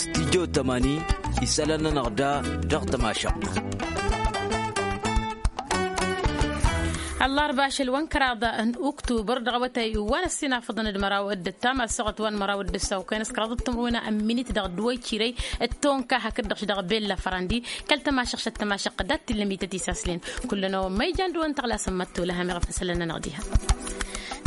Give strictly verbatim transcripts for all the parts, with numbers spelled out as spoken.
Studyo tămani isălan-nănăɣ da dăɣ-tămašăɣt. Ăllarba ašăl wa n-kăraḍ n-uktubăr dăɣ-awătay wa n-ăssinafăḍăn d-măraw d-ǝttam ălsăɣăt wa n-măraw d-ǝssaw kăyăn s-kăraḍăt timǝrwen n-minit dăɣ-dd-wa icirăy d-tonka hakd-dăɣ-š dăɣ-bella fărandi. Kăl-tămašăɣt šăt tămašăɣt dat-t-illa mităt isaslen. Kull-năwăn ma ijan d-wa n-tăɣlasăn mătto lăhăm iɣăf n-isălan-nănăɣ diha.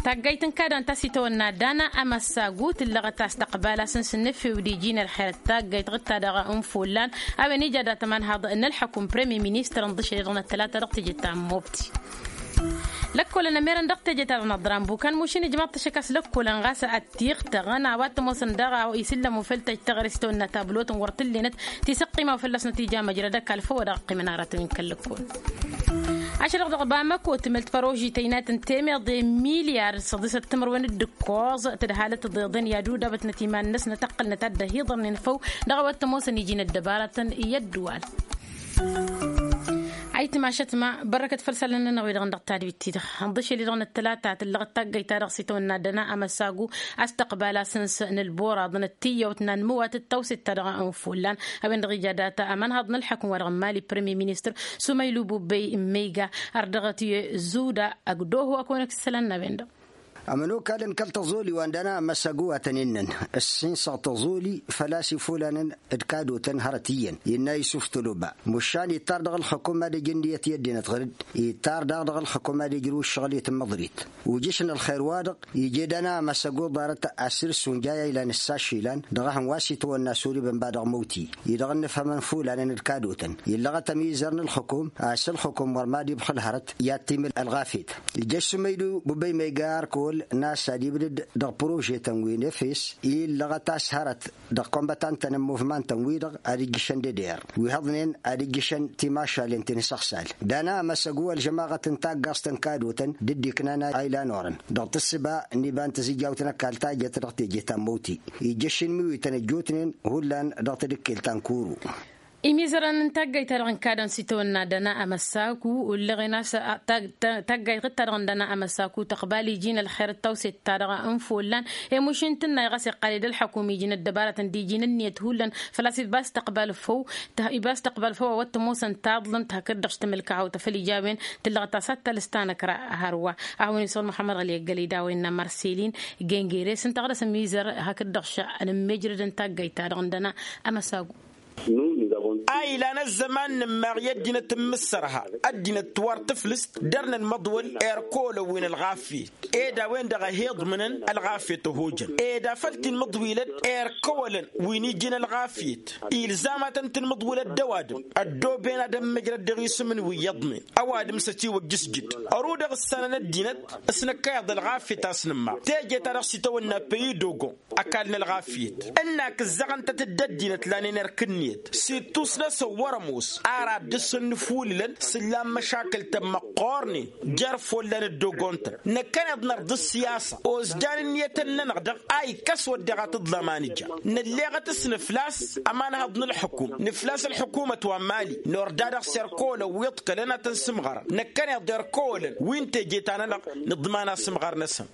Taggayt n-kada n-tasitawănna dana amăssagu tǝllăɣăt a-s tăqbal-asăn s-nǝfew d-iji n-ălxer d-taggayt ɣǝtta-dăɣ n-fullan. A-wen ija dat-ămanhaḍ n-ălxăkum premier ministăr n-ḍǝšel i-dăɣ n-ăttălata dăɣ-teje ta n-mobti. Lăkkolăn ămerăn dăɣ-teje ta dăɣ-năḍran bukan mušin ijmaḍ-t ašăk a-s lăkkolăn ɣas ăttiɣtăɣăn a-wa t-ămoosăn daɣ a isǝllăm ufăl tăjj taɣrist tawănna tablotăn wăr t-ǝllenăt tisăqqima ufăl-năsnăt ija măjrăd ăkall făw wa dăɣ-ăqqimăn aratăn-in kăl-lăkkol. Ašăl-dăɣ dăɣ-bamăko tǝmǝlt păroži tăynayt n-temeḍe milyar săḍisăt timǝrwen d-ǝkkoẓ tǝdhalăt tiḍeḍen i-ad-udabătnăt iman-năsnăt ăqqǝlnăt ad-dd-ăhiḍărnen făw dăɣ-a-wa t-ămoosăn iji n-ăddăbarătăn i-ăddǝwal. Ayǝtmašăt ma bărrăkăt făll-isălan-nănăɣ-wi-dăɣ n-dăɣ-tadwit-ti-dăɣ ănḍǝšel-i-dăɣ n-ăttălata tǝllăɣăt taggăyt-ta-dăɣ s-itawănna ăddăna amăsagu. Astăqbal-asăn s-nǝlboraḍăn d-tiyyăwt n-anmǝwatăt tawset-ta-dăɣ n-ifullan a-wen-dăɣ ija data ămanhaḍ n-ălḥăkm wa dăɣ-n mali premier ministăr sumaylu bubbey n-meyga. Ar dăɣ-t-i zuda ăgg-doho a kăwăn-ăkk s-isălan n-a-wen-dăɣ. Ămănokalăn kăl-tăẓoli wa n-dăna amăsagu wa tăn-innăn ǝssinsăɣ tăẓoli făl-a-s ifullanăn d-kadotăn hărăt iyyăn innă isuf toloba. Mušan ittar dăɣ-ǝlxǝkum ad-ăj ǝnniyăt i-ăddinăt ɣǝr-dd ittar daɣ dăɣ-ǝlxǝkum ad-ǝjrǝw ǝššăɣǝl i-tǝmmăḍrit. Ujǝš n-ălxer-wa-dăɣ ije dăna amăsăgu ḍarăt asǝr s-unjay a ilan ǝssaš ilan dăɣ-ehăn wa s-itwănna s-urǝb ǝnba dăɣ-măwti-i-dăɣ ǝnnǝfhămăn fullanăn d-kadotăn illăɣăt ămizăr n-ǝlxǝkum a-s ǝlxǝkum wăr mad-ibxǝl hărăt i-ad-timǝl ălɣafyăt. Ijjăš sumăydu bǝbăy ma iga arkăwăl n-a-s ad-ibdǝd dăɣ-părožetăn wi n-efes illăɣăt a-s hărăt dăɣ-kăwăn-bătantăn n-muvmantăn-wi-dăɣ ad-ǝjjǝšăn d-eder wi hăḍnen ad-ǝjjǝšăn timašalen ti n-isăɣsal. Dana amăsăgu ălžămaɣăt n-taggaẓt n-kadotăn d-dd-iknan a ilan orăn dăɣ-tǝssǝba n-iba n-tǝzǝjjawt n-ăkall tajjăt dăɣ-teje ta n-măwti. Ijjăš inmiwităn ăjjootnen hullan dăɣ-tedǝkkelt ta n-kuru. Imizărăn n-taggayt-ta-dăɣ n-kadăn s-itawănna dăna amăssaku ullăɣen a-s taggayt-ta-dăɣ n-dăna amăssaku tăqbal iji n-ălxer d-tawset-ta-dăɣ n-follan. Emuš intǝnnay ɣas iqqal-dd ălxăkum iji n-ăddăbarătăn d-iji n-ǝnniyăt hullan făl-a-s iba s-tăqbal făw. Iba s-tăqbal făw a-wa t-ămoosăn taḍlǝmt hakd-dăɣ s-tamǝlkaɣawt a făl ija a-wen tǝllăɣ tasat ta lăstanăkra hărwa. A hawăn-isăwăl muḥămmăd ɣăli ăggălăy d-a-wen n-amărsel-in gengere s-ǝnta ɣur-dăɣ s-ămmizăr hakd-dăɣ š-nǝmmejrăd n-taggayt-ta-dăɣ n-dăna amăsagu. A ilan ăzzăman nǝmmaɣ i-ăddinăt n-imǝssărha ăddinăt wa ăr tǝflǝst dăr-nănmăḍwăl erk ăwălăn wi n-ălɣafyăt ed a-wen-dăɣ a hi-iḍmǝnăn ălɣafyăt ăhojăn ed afăl t-inmǝḍwilăd erk ăwălăn wi n-iji n-ălɣafyăt. Ilzam ad-tăn-tǝnmǝḍwilăd d-ăwadǝm ăddooben ad-ămmăjrăd dăɣ-isǝm n-wi iyyăḍnen ăwadǝm s-ătiwăjjǝsjǝd. Ărudăɣ ǝssanăn ăddinăt s-năkk a iḍa ălɣafyăt a-s nǝmmaɣ teje-ta-dăɣ s-itawănna păyi dogon ăkall n-ălɣafyăt. Ǝnn-ak ǝzzăɣăn-tăt-dd ăddinăt lanen erk ǝnniyăt s-ittus-năsăn wăr-ămoos ar ad-dăr-săn nǝfulǝlăn s-ǝllan măšakǝl-tăn măqqoornen jer-follan ăddogon-tăn. Năkkăneḍ nărḍǝs siyasa ozjan ǝnniyătăn-nănăɣ-dăɣ a ikkăs wădden ad-t-ǝḍlam a nǝja. Nălleɣăt s-nǝflas ămanhăḍ n-ǝlxǝkum nǝflas ǝlxǝkumăt wa n-mali nordadăɣ s-erk ăwălăn wi ǝḍkălăn ad-tăn-sǝmɣărăn. Năkkăneḍ erk ăwălăn wi n-teje-ta-nănăɣ nǝḍman asǝmɣăr-năsăn.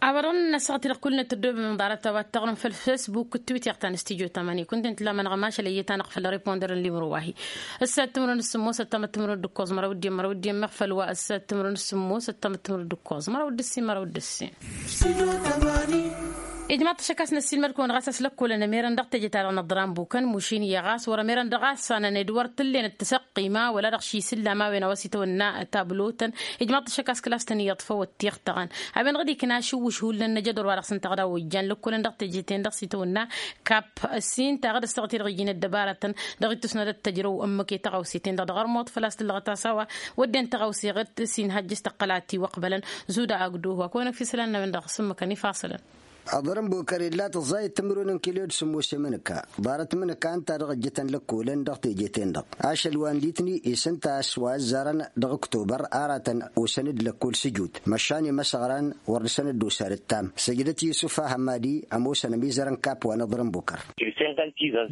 A-wa dăɣ-nǝnnăsăɣ-t-dăɣ kull-net ăddoobem ḍarăt a-wa t-taɣrǝm făll-fesbuk d-twitter ta n-studyo tamani kunta-in tǝllamănăɣ mašal ăyyăt-anăɣ făll-riponder n-limro wa-hi. Ǝssa timǝrwen s-sǝmmos ăttam d-timǝrwen d-ǝkkoẓ măraw d-iyyăn măraw d-iyyăn meɣ făll-wa ǝssa timǝrwen s-sǝmmos ăttam d-timǝrwen d-ǝkkoẓ măraw d-ǝssin măraw d-ǝssin. Ijmaḍ-t ašăk a-s năssiilmăd-kăwăn ɣas a-s lăkkolăn ămerăn dăɣ-teje-ta-dăɣ n-aḍran bukăn mušin iyyă ɣas wăr-ămerăn dăɣ-a ăssanăn ed wăr t-ǝllenăt tasăqqima wăla dăɣ-ši isǝllam a-wen a-wa s-itawănna tablotăn. Ijmaḍ-t ašăk a-s kăla s-tăn-iyyăḍ făw ăttiɣtăɣăn. A-wen-dăɣ dd-ikna ašǝwwǝš hullan n-ajădor wa dăɣ-s ǝnta ɣ-dawăjjan lăkkolăn dăɣ-teje-ten-dăɣ s-itawănna kap ǝssin taɣădăs taɣăt-i-dăɣ iji n-ăddăbarătăn dăɣ-ittus n-ad-ăttăjrăw ǝmmǝk i-tăɣawse-ten-dăɣ dăɣ-ărmuḍ făl-a-s tǝllăɣăt a-s a-wa wădden tăɣawse ɣǝd s-inhăjjǝs tăqqăl ad-t-iwăqbălăn. Zuda agdǝhu a kăwăn-ăkf isălan n-a-wen-dăɣ s-ǝmmǝkăn ifaṣălăn. Aḍrǝm bukăr illa tǝẓẓayăt timǝrwen n-kilo d-sǝmmos i-imǝnǝka ḍarăt imǝnǝka ǝnta-dăɣ ǝjjǝtăn lăkkolăn dăɣ-teje-ten-dăɣ ašăl wa n-litni. Isǝnta a-s wa ăzzarăn dăɣ-ǝktobăr aratăn osăn-dd lăkkol s-ǝjut măšan imăsăɣran wăr dăr-săn dd-osa d-ǝttam. Săjdăt yusǝf a hămmadi ămoosăn ămizăr n-kap wa n-aḍrǝm bukăr.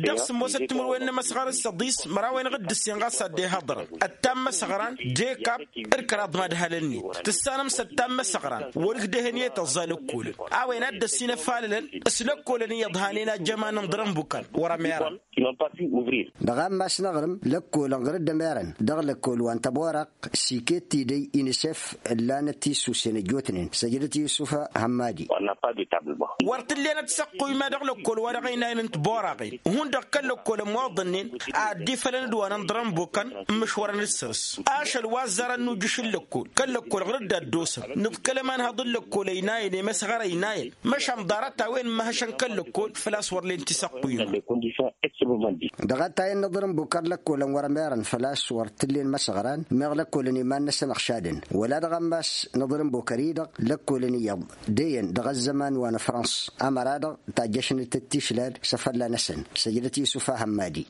Dăɣ-sǝmmosăt timǝrwen n-imăsɣar s-săḍis măraw-enăɣ d-ǝssin ɣas ad-dd-ihăḍrăn ăttam măsăɣran d-ekap d-kăraḍ madhălăn-net tǝssanăm s-ăttam măsăɣran wăr-ǝkdăhăn i-tăẓẓa lăkkolăn. A-wen ad-dd-ăssin Inăfalălăn s-lăkkolăn iyyăḍ hanen ajjăman n-iḍrăn bukan wăr-ămerăn. Dăɣ-ammas n-aɣrǝm lăkkolăn ɣur-dd ămerăn dăɣ-lăkkol wa n-tăboraq s-iket-idăy inisef ǝllanăt tisusen ăjjootnen săjdăt yusuf hămmadi. Wăr t-ǝllenăt săqquyma dăɣ-lăkkol wa dăɣ-ăynayăn n-tiboraqen hundăɣ kăl-lăkkol ămmoḍănnen ad-dd-ifălăn d-wa n-ănḍrăn bokăn. Ǝmmǝšwărăn d-săr-s ašăl wa ăzzarăn n-ujǝš n-lăkkol kăl-lăkkol ɣur-dd ad-dd-osăn nǝḍkăl ămanhăḍ n-lăkkol ăynayăn i-măsɣăr ăynayăn măšan ḍarăt-a-wen n-imhăšăn kăl-lăkkol făl-a-s wăr len tisăqquyma. Dăɣ-attayăn n-aḍrǝm bukăr lăkkolăn wăr-ămerăn făl-a-s wăr t-ǝllen imăsăɣran meɣ lăkkolăn iman-năsăn ăɣšadăn wăla dăɣ-ammas n-aḍrǝm bukăr-i-dăɣ lăkkolăn iyyăḍ dăyăn dăɣ-ăzzăman wa n-afrăns ămăra-dăɣ tajjăšnăt d-tišlad s-afălla-năsăn. Săjdăt yusuf ahămmadi.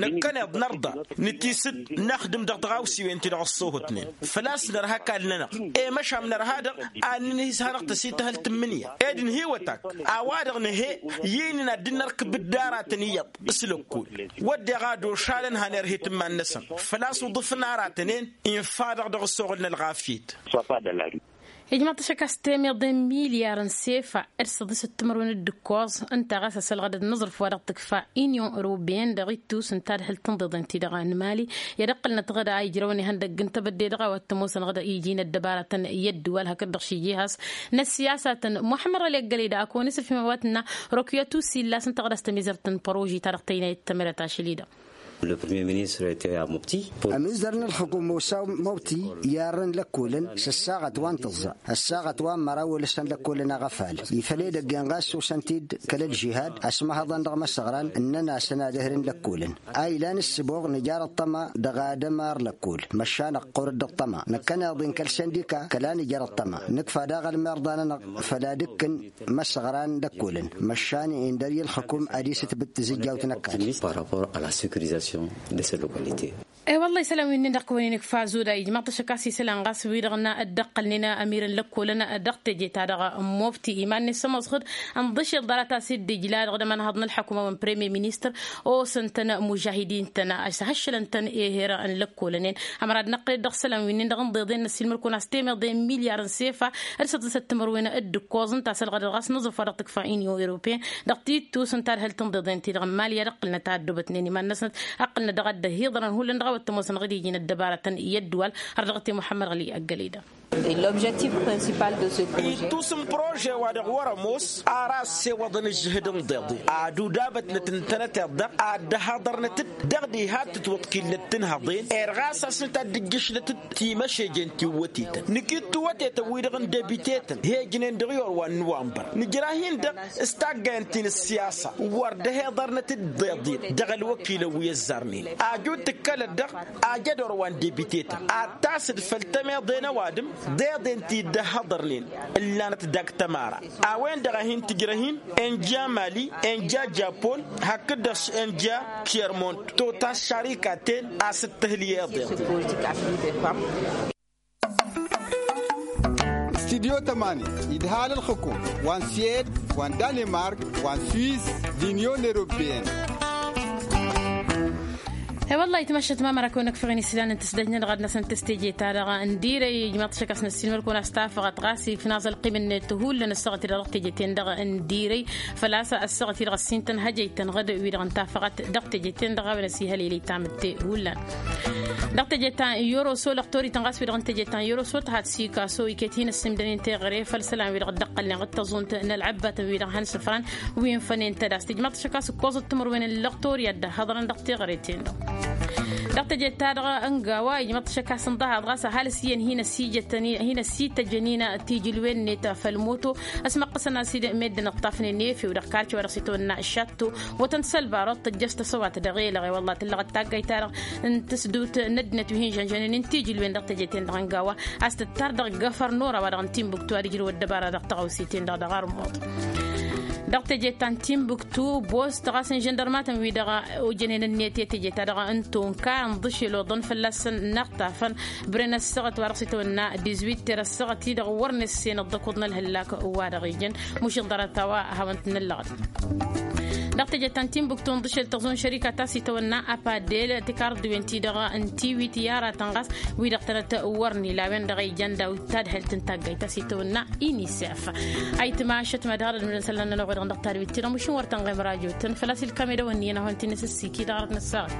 Năkkăneḍ nărḍa nǝtisǝd năxdǝm dăɣ-tiɣawsiwen-ti-dăɣ ăṣṣoohătnen făl-a-s nărha akall-nănăɣ i-măšan nărha-dăɣ ad-nǝnhǝy s-hanăɣ-tăsităhăl tǝmmǝnǝya ed ǝnhǝywăt-ak a-wa-dăɣ nǝhe i-inǝn ad-dd-nărkǝb dd-aratăn iyyăḍ s-lăkkol wădden ad-ošalăn han irhet iman-năsăn făl-a-s uḍǝfăn aratăn-en infa-dăɣ dăɣ-ăssoɣǝl n-ălɣafyăt. Ijmăḍ-t ašăk a-s temeḍe n-milyar n-sefa d-săḍisăt timărwen d-ǝkkoẓ ǝnta ɣas asălɣăd d-inǝẓrǝf wa dăɣ-tǝkfa inyon europeen dăɣ-ittus n-tadhǝlt n-iḍeḍen-ti-dăɣ n-mali i-ad-ǝqqǝlnăt ɣǝd a ijrăwăn ihăndăgg n-tebădde dăɣ-a-wa t-ămoosăn ɣǝd iji n-ăddăbarătăn i-ăddǝwal hakd-dăɣ šijihas n-ăssiyasatăn. Muḥămmăd ɣăli ăggăled a kăwăn-isǝfhim a-wa tǝnna rokuyăt usillas ǝnta ɣǝd a-s tămizărt n-păroži-ta-dăɣ tăynayăt tămrăt ašăl-i-dăɣ. Ămizăr n-ălxukum osa mawti i-arrăn lăkkolăn s-ăssaɣăt wa n-tǝẓẓa ăssaɣăt wa n-măraw wăl-ǝssan lăkkolăn aɣăfal ifăl edăgg-en ɣas osăn-t-dd kăl-ălžihad ăsmăhăḍăn dăɣ-imăsăɣran ǝnnăn-asăn ad-ehrǝn lăkkolăn. A ilan ǝssǝboɣ nǝjar ăṭṭăma dăɣ-ad-ămar lăkkol măšan ăqqur-dd ăṭṭăma năkkăneḍ-in kăl-săndika kăla nǝjar ăṭṭăma nǝkfa daɣ ălmerḍa-nănăɣ făll-ad-ǝkkǝn imăsăɣran d-ăkkolăn măšan indăr i-ălxǝkum ad-isǝtbǝt tizǝjjawt n-ăkall. Par rapport à la sécurisation de ces localités. E-wălla-hi isălan wi-nin-dăɣ kăwăn-in-ikfa zuda ijmaḍ-t ašăk a-s isălan ɣas wi-dăɣ n-dd-ăqqălnen ămirăn lăkkolăn dăɣ-teje-ta-dăɣ n-mobti iman-net s-ămoos ɣǝd ănḍǝšel ḍarăt a-s dd-ijla dăɣ-dămănhăḍ n-ălḥăkuma wa n-premier ministăr osăn-tăn mužahidin-tăn a-s hăššălăn-tăn eher n-lăkkolăn-en. Ămăra d-năqqǝl-dd dăɣ-isălan wi-nin-dăɣ n-iḍeḍen n-ăssiilmăr-kăwăn a-s temeḍe n-milyar n-sefa d-săḍisăt timărwen d-ǝkkoẓ ǝnta a-s ălɣădăd ɣas n-aẓrǝf wa dăɣ-tǝkfa inyon europeen dăɣ-tittus n-tadhǝlt n-iḍeḍen-ti-dăɣ n-mali i-ad-ǝqqǝlnăt a ăddoobătnen iman-năsnăt ǝqqǝlnăt dăɣ-ăddăhiḍărăn hullan dăɣ-a-wa t-ămoosăn ɣǝd iji n-ăddăbarătăn i-ăddǝwal har dăɣ-t i-muḥămmăd ɣăli ăggăleda. Ittus n-prože-wa-dăɣ wăr-ămoos ar a ăssewăḍăn ǝžžǝhǝd n-iḍeḍen ad-udabătnăt ǝntănăteḍ-dăɣ ad-dd-ăhaḍărnăt-dd dăɣ-diha ad-tǝtwăḍkillăt tǝnhăḍen. Ed ɣas a-s nǝta ad-dd-ǝjjǝšlăt-dd timăšejen tiwwătetăn nǝkittuwătetăn-wi-dăɣ n-debiteten hejnen dăɣ-i orwa n-nuwănbăr nǝjrah-in-dăɣ s-taggayăn ti n-ǝssiyasa wăr dd-ăhiḍărnăt-dd iḍeḍen dăɣ-ălwăkilăn wi ăzzarnen. Ajut tǝkkălăt-dăɣ ajăd orwa n-debiteten ad-tasǝd făll-tămeḍe n-ăwadǝm d-eḍen ti dd-ăhhăḍărnen ǝllanăt dăgg-tămara. A-wen-dăɣ a hin-tǝjrăh-in enja mali enja japon hakd-dăɣ enja tiyărmont totas šarikaten a-s dd-tǝhǝl i-eḍeḍ. Studyo tămani idhal ǝlxǝkum wa n-siyed wa n-danimark wa n-swiss d-inyon europeen. E-wălla-hi tmăššăt ma mărakăwăn ăkfăɣ-in islan n-tǝsdăjnăt dăɣ-ad-năsăn tăstejeta-dăɣ n-dirăy ijmaḍ-t šăk a-s năssiinmăr-kăwăn a-s tafăɣăt ɣas ikna aẓălqim-net hullan ăssaɣăt-i-dăɣ dăɣ-teje-ten-dăɣ n-dirăy făl-a-s ăssaɣăt-i-dăɣ ăssin tănhăjăy-tăn ɣǝd wi-dăɣ n-tafăɣăt dăɣ-teje-ten-dăɣ a-wen ăsihălilăy tamǝtte hullan. Dăɣ-teje ta n-yoroso lăqtor-ităn ɣas wi-dăɣ n-teje ta n-yoroso tăhat sikaso iket hin-ăssimdăn-in teɣăre făll-isălan wi-dăɣ dd-ăqqălnen ɣǝd-tăẓunt n-ălɣăbbatăn wi-dăɣ hăn-sǝfran wi ǝnfănen tădas tǝjmaḍ-t šăk a-s ǝkkoẓăt timǝrwen n-lăqtor i-ad-dd-ăhhăḍărăn dăɣ-teɣăre-ten-dăɣ. Dăɣ-teje-ta-dăɣ ăngawa ijmăḍ-t šăk a-s ǝnḍăhaḍ ɣas ăhalǝs iyyăn hin-ăsijătăn hin-ăsităjăn-in tijǝlwen-net făll-moto. Ăsmăqqăsăn a-s dd-meddǝn ǝṭṭafnen efew dăɣ-karce wa dăɣ-s itwănna šatto wătăn sălbarăḍ tăjjăš tăsăwat dăɣ-elăɣ i-wălla tǝllăɣăt taggayt-ta-dăɣ n-tǝsdut n-ăddinăt wi hin-žănžănen n-tijǝlwen dăɣ-teje-ten-dăɣ ăngawa a-s tǝttar dăɣ-găfăr n-ora wa dăɣ-n timbuktu ad-ǝjrǝw ăddăbara dăɣ-tăɣawse-ten-dăɣ dăɣ-armut. Dăɣ-teje ta n-timbuktu bost ɣas n-žăndărmatăn wi-dăɣ ojănen ǝnniyăt i-teje ta dăɣ-n tonka ǝnḍǝšel oḍăn fălla-săn n-aɣtafăn bren ăssaɣăt wa dăɣ-s itwănna dizwit ter ăssaɣăt-i-dăɣ wăr nǝssen ăḍḍăkuḍ n-ălhăllak wa dăɣ-ijăn. Mušin ḍarăt a-wa hawăn-t-nǝllăɣăt. Dăɣ-teje ta n-timbuktu ǝnḍǝšel tăẓun šărika ta s-itawănna apadel tikarḍǝwen-ti-dăɣ n-tiwit i-aratăn ɣas wi-dăɣ tănăt-wărni la-wen-dăɣ a ijăn daw-tadhǝlt n-taggayt ta s-itawănna inisef. Ayǝtma ašăt ma dăɣ-ad-ădmǝdăn isălan-nănăɣ-wi-dăɣ dăɣ-tadwit-ti-dăɣ mašin wăr tăn-ɣemăr ajotăn făl-a-s ilkam edăwănni-năhăn ti n-asǝssiki dăɣ-arăt n-ăssaɣăt.